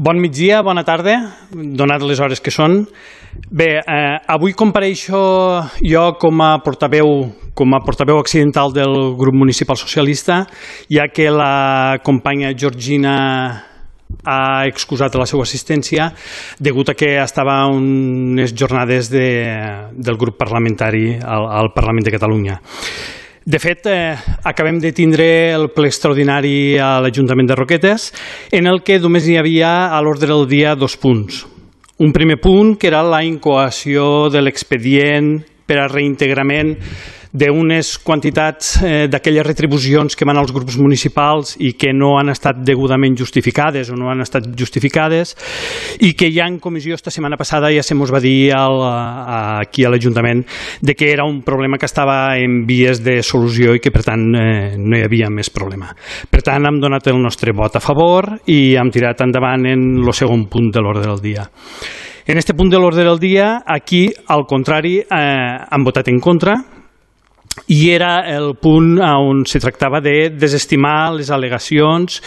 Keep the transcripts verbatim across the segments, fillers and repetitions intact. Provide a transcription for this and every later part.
Bon migdia, bona tarda, donat les hores que són. Bé, eh, avui compareixo jo com a portaveu, com a portaveu accidental del grup municipal socialista, ja que la companya Georgina ha excusat la seva assistència degut a que estava a unes jornades de, del grup parlamentari al, al Parlament de Catalunya. De fet, eh, acabem de tindre el ple extraordinari a l'Ajuntament de Roquetes, en el que només hi havia a l'ordre del dia dos punts. Un primer punt, que era la incoació de l'expedient per a reintegrament d'unes quantitats eh, d'aquelles retribucions que van als grups municipals i que no han estat degudament justificades o no han estat justificades i que ja en comissió esta setmana passada ja se mos va dir al, a, aquí a l'Ajuntament de que era un problema que estava en vies de solució i que per tant eh, no hi havia més problema. Per tant hem donat el nostre vot a favor i hem tirat endavant en el segon punt de l'ordre del dia. En este punt de l'ordre del dia, aquí, al contrari, eh, han votat en contra, i era el punt on se tractava de desestimar les al·legacions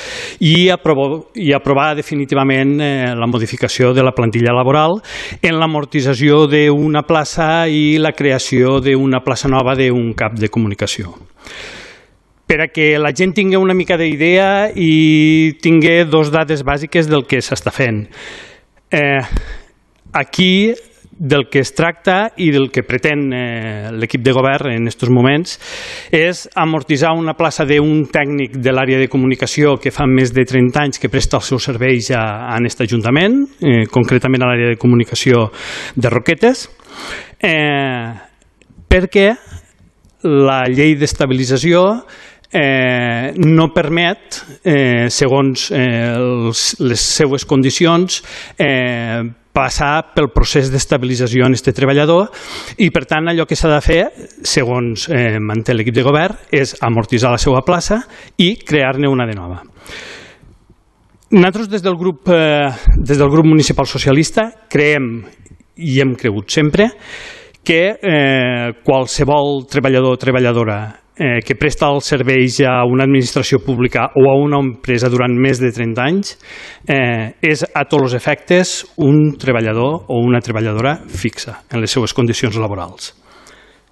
i aprovar, i aprovar definitivament eh, la modificació de la plantilla laboral en l'amortització d'una plaça i la creació d'una plaça nova d'un cap de comunicació. Per a que la gent tingui una mica d'idea i tingui dos dades bàsiques del que s'està fent. Eh, aquí del que es tracta i del que pretén eh, l'equip de govern en aquests moments és amortitzar una plaça d'un tècnic de l'àrea de comunicació que fa més de trenta anys que presta els seus serveis a, a aquest Ajuntament, eh, concretament a l'àrea de comunicació de Roquetes, eh, perquè la llei d'estabilització eh, no permet, eh, segons eh, els, les seues condicions, eh, passar pel procés d'estabilització en aquest treballador i, per tant, allò que s'ha de fer, segons eh, manté l'equip de govern, és amortitzar la seva plaça i crear-ne una de nova. Nosaltres, des del grup, eh, des del grup municipal socialista, creiem i hem cregut sempre que eh, qualsevol treballador o treballadora eh, que presta els serveis a una administració pública o a una empresa durant més de trenta anys eh, és a tots els efectes un treballador o una treballadora fixa en les seves condicions laborals.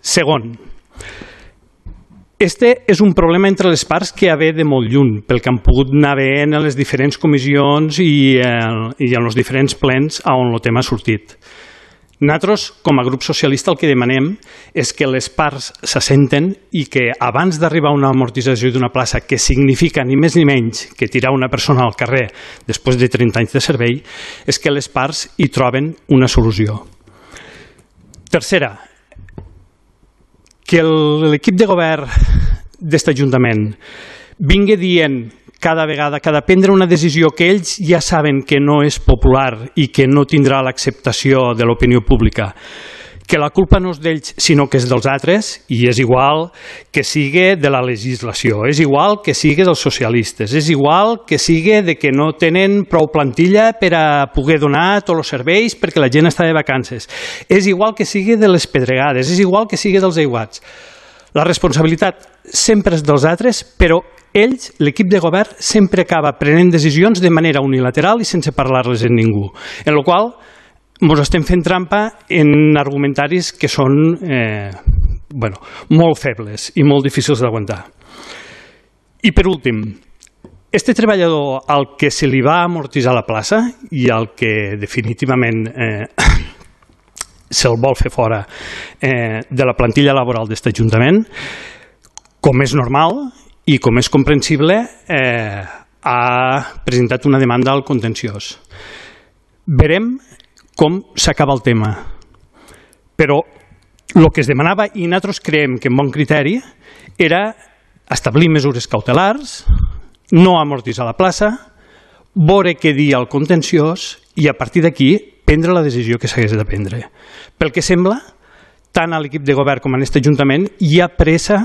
Segon, este és un problema entre les parts que ve de molt lluny, pel que han pogut anar veient en les diferents comissions i, eh, i en els diferents plens on el tema ha sortit. Nosaltres, com a grup socialista, el que demanem és que les parts s'assenten i que abans d'arribar a una amortització d'una plaça que significa ni més ni menys que tirar una persona al carrer després de trenta anys de servei, és que les parts hi troben una solució. Tercera, que l'equip de govern d'aquest Ajuntament vingui dient cada vegada que ha de prendre una decisió que ells ja saben que no és popular i que no tindrà l'acceptació de l'opinió pública, que la culpa no és d'ells sinó que és dels altres, i és igual que sigui de la legislació, és igual que sigui dels socialistes, és igual que sigui de que no tenen prou plantilla per a poder donar tots els serveis perquè la gent està de vacances, és igual que sigui de les pedregades, és igual que sigui dels aiguats. La responsabilitat sempre és dels altres, però ells, l'equip de govern, sempre acaba prenent decisions de manera unilateral i sense parlar-les amb ningú, en la qual ens estem fent trampa en argumentaris que són eh, bueno, molt febles i molt difícils d'aguantar. I per últim, este treballador al que se li va amortitzar la plaça i al que definitivament eh, se'l vol fer fora eh, de la plantilla laboral d'aquest Ajuntament, com és normal i com és comprensible, eh, ha presentat una demanda al contenciós. Verem com s'acaba el tema. Però el que es demanava, i nosaltres creiem que amb bon criteri, era establir mesures cautelars, no amortitzar la plaça, veure què dir al contenciós i a partir d'aquí prendre la decisió que s'hagués de prendre. Pel que sembla, tant a l'equip de govern com a aquest Ajuntament hi ha pressa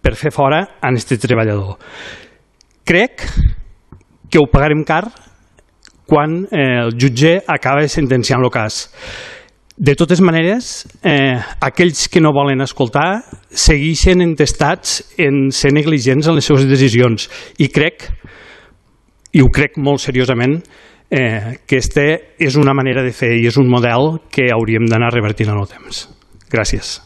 per fer fora a aquest treballador. Crec que ho pagarem car quan eh, el jutge acaba sentenciant el cas. De totes maneres, eh, aquells que no volen escoltar segueixen entestats en ser negligents en les seves decisions i crec, i ho crec molt seriosament, eh, aquesta és una manera de fer i és un model que hauríem d'anar revertint en el temps. Gràcies.